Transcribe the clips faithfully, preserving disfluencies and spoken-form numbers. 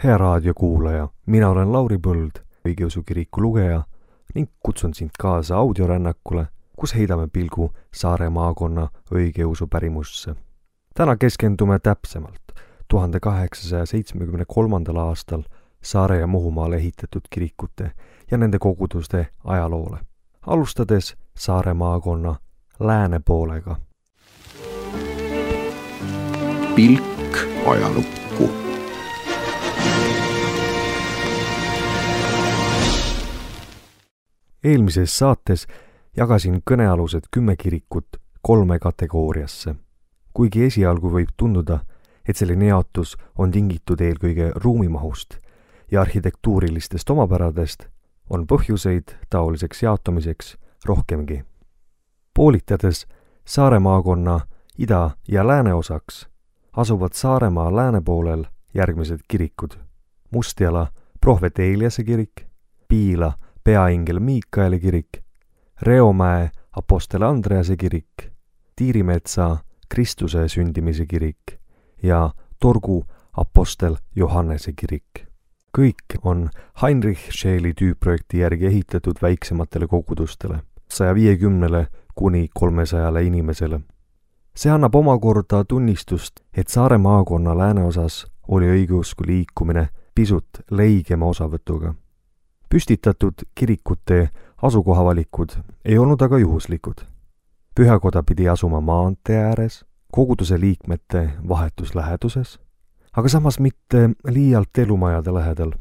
Hea raadiokuulaja, mina olen Lauri Põld, õigeusu kiriku lugeja ning kutsun sind kaasa audiorännakule, kus heidame pilgu Saare maakonna õigeusu pärimusse. Täna keskendume täpsemalt tuhande kaheksasaja seitsmekümne kolmandal aastal Saare ja Muhumaale ehitatud kirikute ja nende koguduste ajaloole, alustades Saare maakonna lääne poolega. Pilk ajalukku. Eelmises saates jagasin kõnealused kümme kirikut kolme kategooriasse. Kuigi esialgu võib tunduda, et selline jaotus on tingitud eelkõige ruumimahust ja arhitektuurilistest omapäradest, on põhjuseid taoliseks jaotumiseks rohkemgi. Poolitades Saare maakonna ida- ja lääneosaks asuvad Saaremaa lääne poolel järgmised kirikud: Mustjala prohvet Eeliase kirik, Piila peaingel Miikaeli kirik, Reomäe apostel Andrease kirik, Tiirimetsa Kristuse sündimise kirik ja Torgu apostel Johannese kirik. Kõik on Heinrich Scheeli tüüpprojekti järgi ehitatud väiksematele kogudustele, saja viiekümnele kuni kolmesajale inimesele. See annab omakorda tunnistust, et Saare maakonna lääneosas oli õigeusku liikumine pisut leigema osavõtuga. Püstitatud kirikute asukohavalikud ei olnud aga juhuslikud. Pühakoda pidi asuma maantee ääres, koguduse liikmete vahetus läheduses, aga samas mitte liialt elumajade lähedal.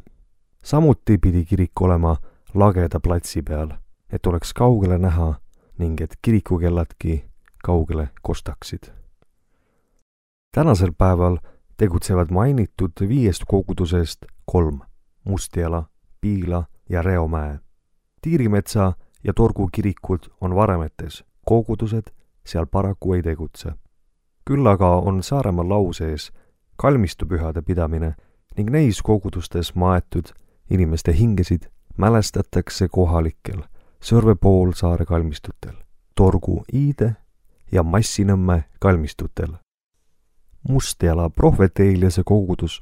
Samuti pidi kirik olema lageda platsi peal, et oleks kaugele näha ning et kirikukelladki kaugele kostaksid. Tänasel päeval tegutsevad mainitud viiest kogudusest kolm: Mustjala, Piila ja Reomäe. Tiirimetsa ja Torgu kirikud on varemetes, kogudused seal paraku ei tegutse. Küll aga on Saaremaal lausees kalmistupühade pidamine ning neis kogudustes maetud inimeste hingesid mälestatakse kohalikel Sõrve poolsaare kalmistutel, Torgu Iide ja Massinõmme kalmistutel. Mustjala prohvet Eeliase kogudus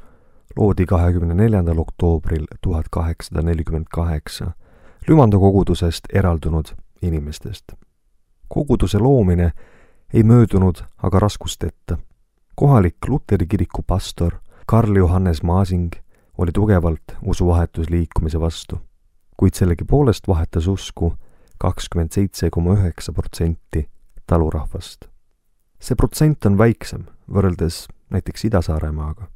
loodi kahekümne neljandal oktoobril tuhat kaheksasada nelikümmend kaheksa Lümando kogudusest eraldunud inimestest. Koguduse loomine ei möödunud aga raskustetta. Kohalik Luteri kiriku pastor Karl Johannes Maasing oli tugevalt usuvahetusliikumise vastu, kuid sellegi poolest vahetas usku kakskümmend seitse koma üheksa protsenti talurahvast. See protsent on väiksem võrreldes näiteks Ida-Saaremaaga,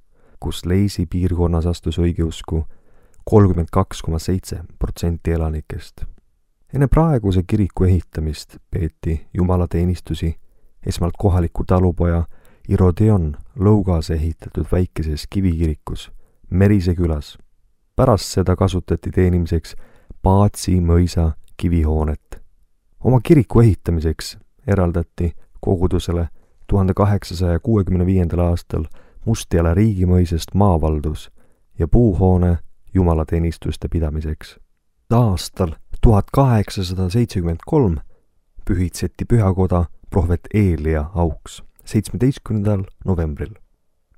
kus Leisi piirkonnas astus õigeusku kolmkümmend kaks koma seitse protsenti elanikest. Enne praeguse kiriku ehitamist peeti jumalateenistusi esmalt kohaliku talupoja Irodion Lõugas ehitatud väikeses kivikirikus Merise külas. Pärast seda kasutati teenimiseks Paatsi mõisa kivihoonet. Oma kiriku ehitamiseks eraldati kogudusele tuhande kaheksasaja kuuekümne viiendal aastal Mustjala riigimõisest maavaldus ja puuhoone jumalateenistuste pidamiseks. Aastal tuhat kaheksasada seitsekümmend kolm pühitseti pühakoda prohvet Eelia auks seitsmeteistkümnendal novembril.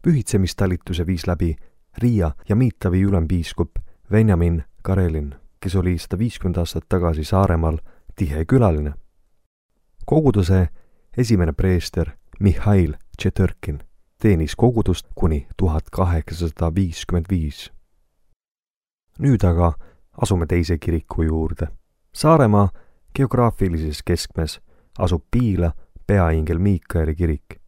Pühitsemistalituse viis läbi Riia ja Miitavi ülempiiskop Venjamin Karelin, kes oli sada viiskümmend aastat tagasi Saaremaal tihe külaline. Koguduse esimene preester Mihhail Tšetõrkin teenis kogudust kuni tuhat kaheksasada viiskümmend viis. Nüüd aga asume teise kiriku juurde. Saaremaa geograafilises keskmes asub Piila peaingel Miikaeli kirik.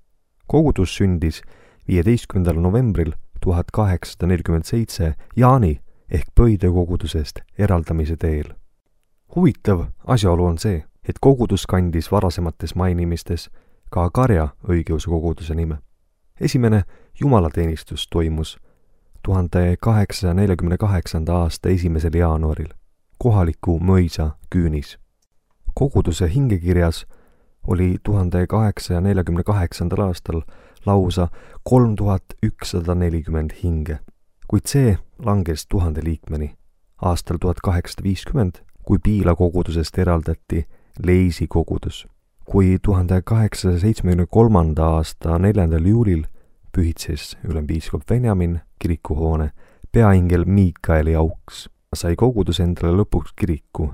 Kogudus sündis viieteistkümnendal novembril tuhat kaheksasada nelikümmend seitse Jaani ehk Pöide kogudusest eraldamise teel. Huvitav asjaolu on see, et kogudus kandis varasemates mainimistes ka Karja õigeusu koguduse nime. Esimene jumalateenistus toimus tuhande kaheksasaja neljakümne kaheksanda aasta esimesel jaanuaril kohaliku mõisa küünis. Koguduse hingekirjas oli tuhande kaheksasaja neljakümne kaheksandal aastal lausa kolm tuhat ükssada nelikümmend hinge, kuid see langes tuhande liikmeni aastal tuhat kaheksasada viiskümmend, kui Piila kogudusest eraldati Leisi kogudus. Kui tuhande kaheksasaja seitsmekümne kolmanda aasta neljandal juulil pühitses ülempiiskop Venjamin kirikuhoone peaingel Miikaeli Auks sai kogudus endale lõpuks kiriku.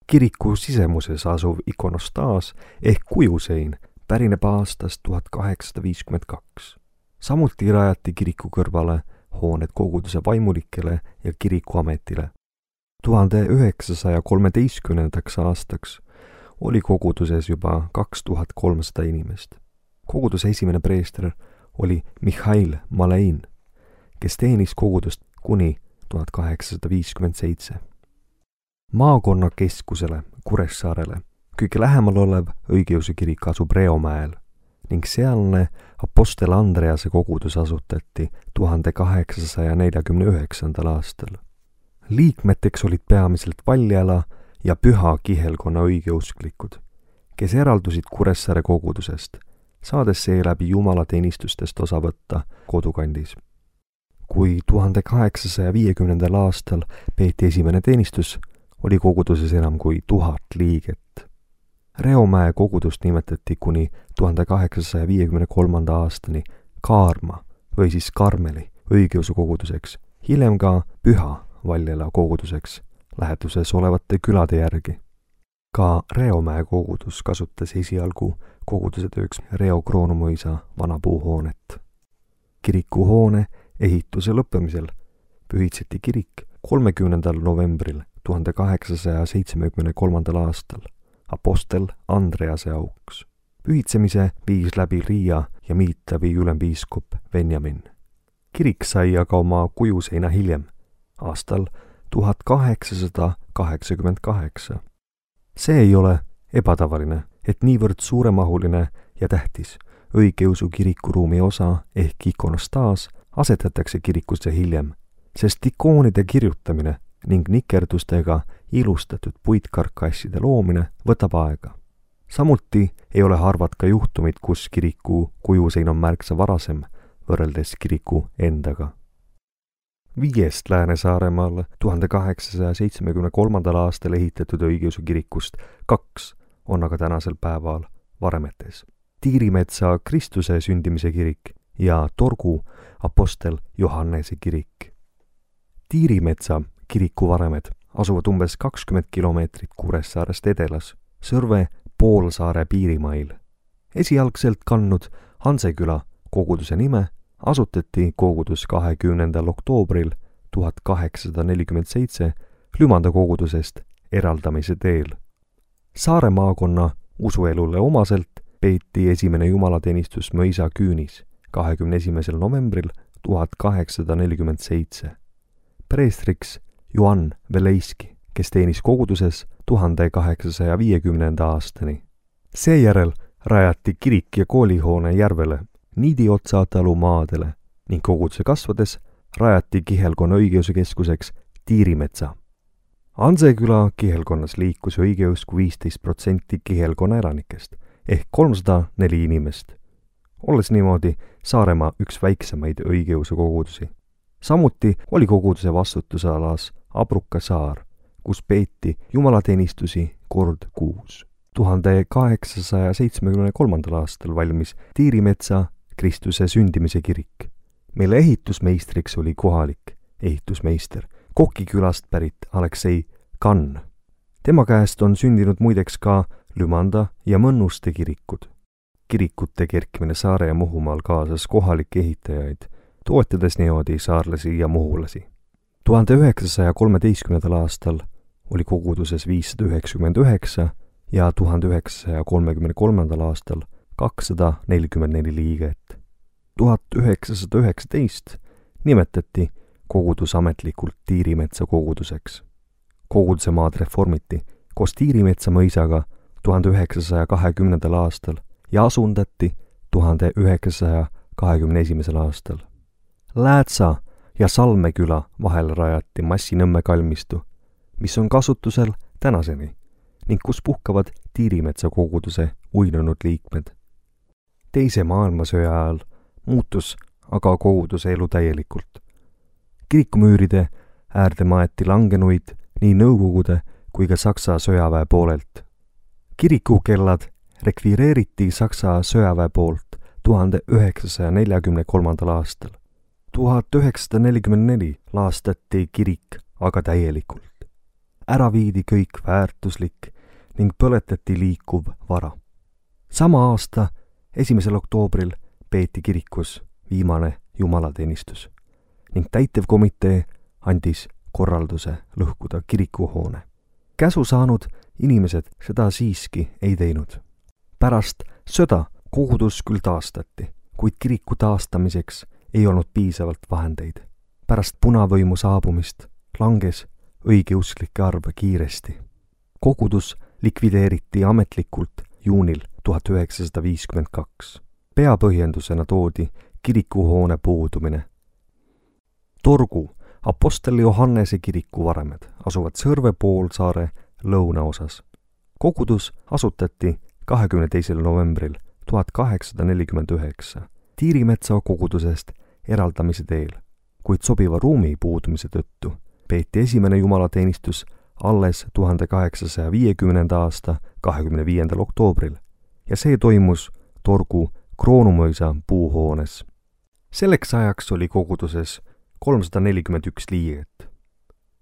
Kiriku sisemuses asuv ikonostaas ehk kujusein pärineb aastast tuhat kaheksasada viiskümmend kaks. Samuti rajati kiriku kõrvale hooned koguduse vaimulikele ja kirikuametile. tuhande üheksasaja kolmeteistkümnendaks aastaks oli koguduses juba kaks tuhat kolmsada inimest. Koguduse esimene preester oli Mihhail Malein, kes teenis kogudust kuni tuhat kaheksasada viiskümmend seitse. Maakonna keskusele Kuressaarele kõige lähemal olev õigeusu kirik asub Reomäel ning sealne Apostel Andrease kogudus asutati tuhande kaheksasaja neljakümne üheksandal aastal. Liikmeteks olid peamiselt Valjala ja Püha kihelkonna õigeusklikud, kes eraldusid Kuressaare kogudusest, saades seeläbi jumalateenistustest osa võtta kodukandis. Kui tuhande kaheksasaja viiekümnendal aastal peeti esimene teenistus, oli koguduses enam kui tuhat liiget. Reomäe kogudust nimetati kuni tuhande kaheksasaja viiekümne kolmanda aastani Kaarma või siis Karmeli õigeusu koguduseks, hiljem ka Püha Valjala koguduseks lähetuses olevate külade järgi. Ka Reomäe kogudus kasutas esialgu koguduse tööks Reo Kroonumõisa vana puuhoonet. Kirikuhoone ehituse lõppemisel pühitseti kirik kolmekümnendal novembril tuhande kaheksasaja seitsmekümne kolmandal aastal Apostel Andrease Auks. Pühitsemise viis läbi Riia ja Miitavi ülempiiskop Benjamin. Kirik sai aga oma kujuseina hiljem, aastal tuhat kaheksasada kaheksakümmend kaheksa. See ei ole ebatavaline, et niivõrd suuremahuline ja tähtis õigeusu kirikuruumi osa ehk ikonostaas asetatakse kirikusse hiljem, sest ikoonide kirjutamine ning nikerdustega ilustatud puitkarkasside loomine võtab aega. Samuti ei ole harvad ka juhtumid, kus kiriku kujusein on märksa varasem võrreldes kiriku endaga. Viiest Lääne-Saaremaal tuhande kaheksasaja seitsmekümne kolmandal aastal ehitatud õigeusu kirikust kaks on aga tänasel päeval varemetes. Tiirimetsa Kristuse sündimise kirik ja Torgu Apostel Johannese kirik. Tiirimetsa kiriku varemed asuvad umbes kakskümmend kilomeetrit Kuressaarest edelas, Sõrve poolsaare piirimail. Esialgselt kandnud Hanseküla koguduse nime asutati kogudus kahekümnendal oktoobril tuhat kaheksasada nelikümmend seitse Lümanda kogudusest eraldamise teel. Saare maakonna usuelule omaselt peeti esimene jumalateenistus Mõisa küünis kahekümne esimesel novembril tuhat kaheksasada nelikümmend seitse. Preestriks Johann Veleiski, kes teenis koguduses tuhande kaheksasaja viiekümnenda aastani. Seejärel rajati kirik ja koolihoone järvele Niidiotsa talu maadele ning koguduse kasvades rajati kihelkonna õigeusu keskuseks Tiirimetsa. Hanseküla kihelkonnas liikus õigeusk viisteist protsenti kihelkonna elanikest ehk kolmsada neli inimest, olles niimoodi Saaremaa üks väiksemaid õigeusu kogudusi. Samuti oli koguduse vastutusalas Abruka saar, kus peeti jumalateenistusi kord kuus. tuhande kaheksasaja seitsmekümne kolmandal aastal valmis Tiirimetsa Kristuse sündimise kirik, mille ehitusmeistriks oli kohalik ehitusmeister Koki külast pärit Aleksei Kann. Tema käest on sündinud muideks ka Lümanda ja Mõnnuste kirikud. Kirikute kerkimine Saare ja Muhumaal kaasas kohalikke ehitajaid, toetades niimoodi saarlasi ja muhulasi. tuhande üheksasaja kolmeteistkümnendal aastal oli koguduses viissada üheksakümmend üheksa ja tuhande üheksasaja kolmekümne kolmandal aastal kakssada nelikümmend neli liiget. tuhat üheksasada üheksateist nimetati kogudus ametlikult Tiirimetsa koguduseks. Koguduse maad reformiti koos Tiirimetsa mõisaga tuhande üheksasaja kahekümnendal aastal ja asundati tuhande üheksasaja kahekümne esimesel aastal. Läätsa ja Salmeküla vahel rajati Massinõmme kalmistu, mis on kasutusel tänaseni ning kus puhkavad Tiirimetsa koguduse uinunud liikmed. Teise maailmasõja ajal muutus aga koguduse elu täielikult. Kirikumüüride äärde maeti langenuid nii Nõukogude kui ka Saksa sõjaväe poolelt. Kirikukellad rekvireeriti Saksa sõjaväe poolt tuhande üheksasaja neljakümne kolmandal aastal. tuhat üheksasada nelikümmend neli laastati kirik aga täielikult. Ära viidi kõik väärtuslik ning põletati liikuv vara. Sama aasta esimesel oktoobril peeti kirikus viimane jumalateenistus ning täitevkomitee andis korralduse lõhkuda kirikuhoone. Käsu saanud inimesed seda siiski ei teinud. Pärast sõda kogudus küll taastati, kuid kiriku taastamiseks ei olnud piisavalt vahendeid. Pärast punavõimu saabumist langes õigeusklike arv kiiresti. Kogudus likvideeriti ametlikult juunil tuhat üheksasada viiskümmend kaks. Peapõhjendusena toodi kirikuhoone puudumine. Torgu Apostel Johannese kiriku varemed asuvad Sõrve poolsaare lõunaosas. Kogudus asutati kahekümne teisel novembril tuhat kaheksasada nelikümmend üheksa Tiirimetsa kogudusest eraldamise teel, kuid sobiva ruumi puudumise tõttu peeti esimene jumalateenistus alles tuhande kaheksasaja viiekümnenda aasta kahekümne viiendal oktoobril ja see toimus Torgu Kroonumõisa puuhoones. Selleks ajaks oli koguduses kolmsada nelikümmend üks liiget.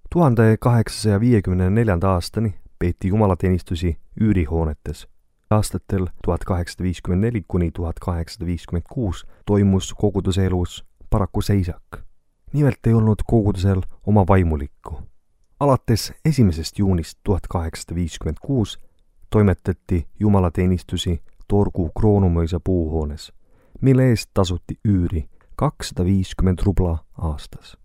tuhande kaheksasaja viiekümne neljanda aastani peeti jumalateenistusi üürihoonetes. Aastatel tuhat kaheksasada viiskümmend neli kuni tuhat kaheksasada viiskümmend kuus toimus koguduse elus paraku seisak. Nimelt ei olnud kogudusel oma vaimulikku. Alates esimesest juunist tuhat kaheksasada viiskümmend kuus toimetati jumalateenistusi Torgu Kroonumõisa puuhoones, mille eest tasuti üüri kakssada viiskümmend rubla aastas.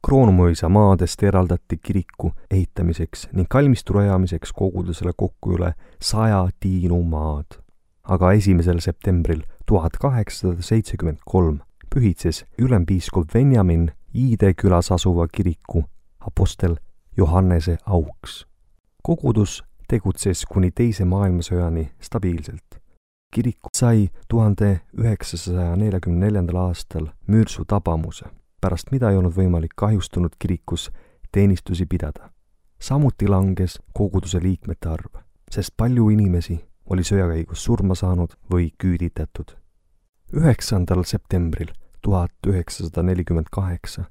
Kroonumõisa maadest eraldati kiriku ehitamiseks ning kalmistu rajamiseks kogudusele kokku üle saja tiinu maad. Aga esimesel septembril tuhat kaheksasada seitsekümmend kolm pühitses ülempiiskop Venjamin Iide külas asuva kiriku Apostel Johannese auks. Kogudus tegutses kuni teise maailmasõjani stabiilselt. Kirik sai tuhande üheksasaja neljakümne neljandal aastal müürsu tabamuse, pärast mida ei olnud võimalik kahjustunud kirikus teenistusi pidada. Samuti langes koguduse liikmete arv, sest palju inimesi oli sõjakäigus surma saanud või küüditatud. üheksandal septembril tuhat üheksasada nelikümmend kaheksa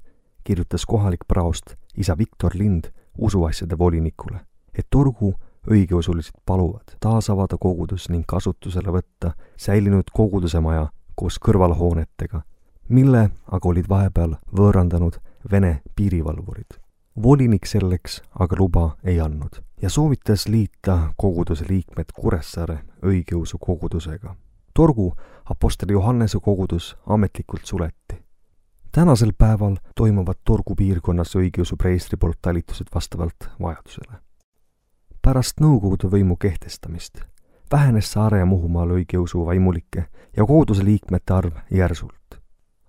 kirjutas kohalik praost isa Viktor Lind usuasjade volinikule, et Torgu õigeusulised paluvad taas avada kogudus ning kasutusele võtta säilinud koguduse maja koos kõrvalhoonetega, mille aga olid vahepeal võõrandanud Vene piirivalvurid. Volinik selleks aga luba ei andnud ja soovitas liita koguduse liikmed Kuressaare õigeusu kogudusega. Torgu Apostel Johannese kogudus ametlikult suleti. Tänasel päeval toimuvad Torgu piirkonnas õigeusu preestri poolt talitused vastavalt vajadusele. Pärast Nõukogude võimu kehtestamist vähenes Saare ja Muhumaal õigeusu vaimulike ja koguduse liikmete arv järsult.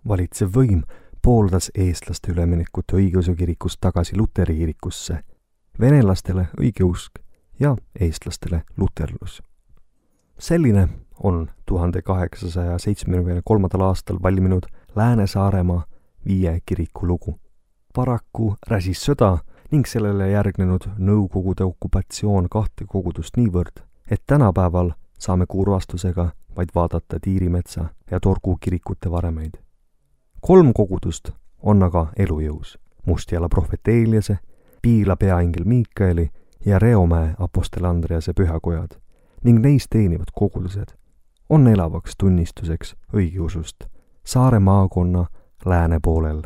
Valitsev võim pooldas eestlaste üleminekut õigeusu kirikust tagasi luteri kirikusse, venelastele õigeusk ja eestlastele luterlus. Selline on tuhande kaheksasaja seitsmekümne kolmandal aastal valminud Lääne-Saaremaa viie kiriku lugu. Paraku räsis sõda ning sellele järgnenud Nõukogude okupatsioon kahte kogudust niivõrd, et tänapäeval saame kurvastusega vaid vaadata Tiirimetsa ja Torgu kirikute varemeid. Kolm kogudust on aga elujõus: Mustjala prohvet Eeliase, Piila peaingel Miikaeli ja Reomäe Apostel Andrease pühakojad ning neis teenivad kogudused on elavaks tunnistuseks õigeusust Saare maakonna lääne poolel.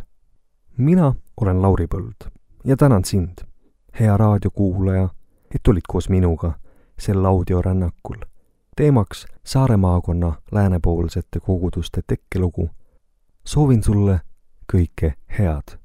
Mina olen Lauri Põld ja tänan sind, hea raadiokuulaja, et olid koos minuga sel audiorännakul. Teemaks Saare maakonna läänepoolsete koguduste tekkelugu. Soovin sulle kõike head.